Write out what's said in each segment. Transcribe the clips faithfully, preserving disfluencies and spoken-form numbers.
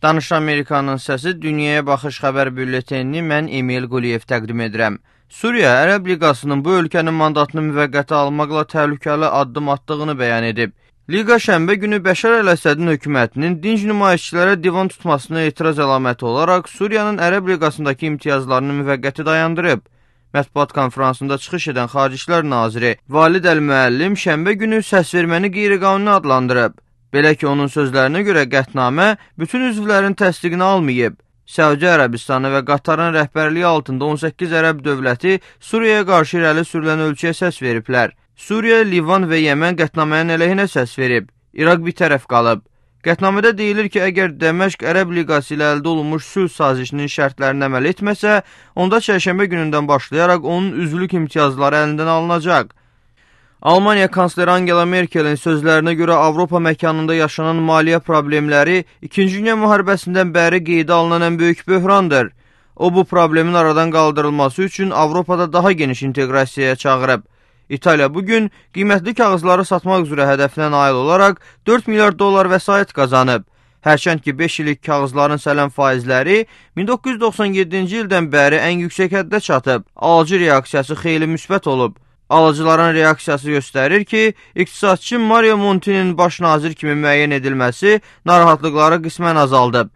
Danış Amerikanın səsi Dünyaya Baxış xəbər bülletenini mən Emil Quliyev təqdim edirəm. Suriya Ərəb Liqasının bu ölkənin mandatını müvəqqəti almaqla təhlükəli addım attığını bəyan edib. Liqa şənbə günü Bəşər əl-Əsədin hökumətinin dinc nümayişçilərə divan tutmasına etiraz əlaməti olaraq Suriyanın Ərəb Liqasındakı imtiyazlarını müvəqqəti dayandırıb. Mətbuat konferansında çıxış edən Xarici İşlər Naziri Valid Əl-Müəllim şənbə günü səsverməni qeyri-qanuni adlandırıb. Belə ki, onun sözlərinə görə qətnamə bütün üzvlərin təsdiqini almayıb. Səudiyyə Ərəbistanı və Qatarın rəhbərliyi altında on səkkiz ərəb dövləti Suriyaya qarşı irəli sürülən ölkəyə səs veriblər. Suriya, Livan və Yəmən qətnamənin əleyhinə səs verib. İraq bir tərəf qalıb. Qətnamədə deyilir ki, əgər Dəməşq Ərəb Liqası ilə əldə olunmuş sülh sazişinin şərtlərini əməl etməsə, onda çərşənbə günündən başlayaraq onun üzvlük imtiyazları əlindən alınacaq. Almaniya kansleri Angela Merkelin sözlərinə görə Avropa məkanında yaşanan maliyyə problemləri İkinci Dünya müharibəsindən bəri qeydə alınan ən böyük böhrandır. O, bu problemin aradan qaldırılması üçün Avropada daha geniş inteqrasiyaya çağırıb. İtaliya bugün qiymətli kağızları satmaq üzrə hədəfinə nail olaraq dörd milyard dollar vəsait qazanıb. Hərçənd ki, beş illik kağızların sələm faizləri min doqquz yüz doxsan yeddinci ildən bəri ən yüksək həddə çatıb. Alıcı reaksiyası xeyli müsbət olub. Alıcıların reaksiyası göstərir ki, iqtisadçı Mario Monti'nin baş nazir kimi müəyyən edilməsi narahatlıqları qismən azaldıb.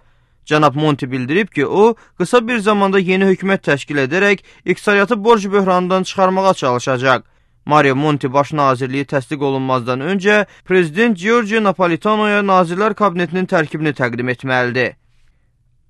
Cənab Monti bildirib ki, o, qısa bir zamanda yeni hökumət təşkil edərək iqtisadiyyatı borc böhranından çıxarmağa çalışacaq. Mario Monti baş nazirliyi təsdiq olunmazdan öncə Prezident Giorgio Napolitano'ya Nazirlər Kabinetinin tərkibini təqdim etməlidir.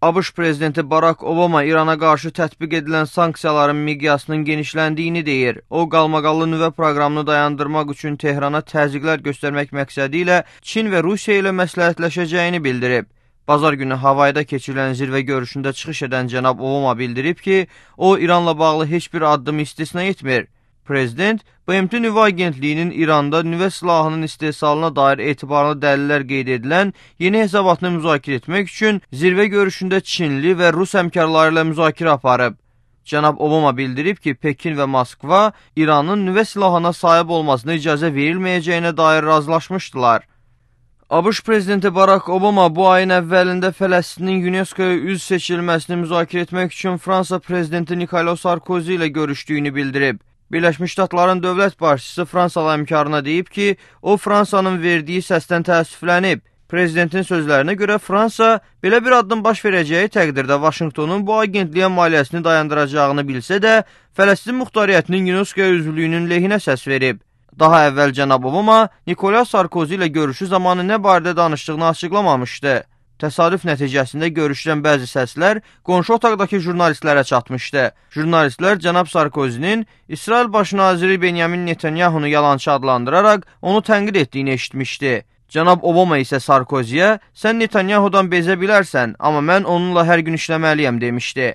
ABŞ Prezidenti Barack Obama İrana qarşı tətbiq edilən sanksiyaların miqyasının genişləndiyini deyir. O, qalmaqallı nüvə proqramını dayandırmaq üçün Tehrana təzyiqlər göstərmək məqsədi ilə Çin və Rusiya ilə məsləhətləşəcəyini bildirib. Bazar günü Havayda keçirilən zirvə görüşündə çıxış edən cənab Obama bildirib ki, o, İranla bağlı heç bir addım istisna etmir. Prezident, B M T Nüvə Agentliyinin İranda nüvə silahının istehsalına dair etibarlı dəlillər qeyd edilən yeni hesabatını müzakirə etmək üçün zirvə görüşündə Çinli və Rus həmkarları ilə müzakirə aparıb. Cənab Obama bildirib ki, Pekin və Moskva İranın nüvə silahına sahib olmasına icazə verilməyəcəyinə dair razılaşmışdılar. ABŞ Prezidenti Barack Obama bu ayın əvvəlində Fələstinin UNESCO-ya üzv seçilməsini müzakirə etmək üçün Fransa Prezidenti Nicolas Sarkozy ilə görüşdüyünü bildirib. Birləşmiş Ştatların dövlət başçısı Fransalı həmkarına deyib ki, o, Fransanın verdiyi səsdən təəssüflənib. Prezidentin sözlərinə görə Fransa belə bir addım baş verəcəyi təqdirdə Vaşinqtonun bu agentliyə maliyyəsini dayandıracağını bilsə də, Fələstin muxtariyyətinin UNESCO üzvlüyünün lehinə səs verib. Daha əvvəl cənab Obama Nicolas Sarkozy ilə görüşü zamanı nə barədə danışdığını açıqlamamışdı. Təsadüf nəticəsində görüşdən bəzi səslər qonşu otaqdakı jurnalistlərə çatmışdı. Jurnalistlər cənab Sarkozy'nin İsrail baş naziri Benyamin Netanyahunu yalançı adlandıraraq onu tənqid etdiyini eşitmişdi. Cənab Obama isə Sarkozy'yə, sən Netanyahudan bezə bilərsən, amma mən onunla hər gün işləməliyəm demişdi.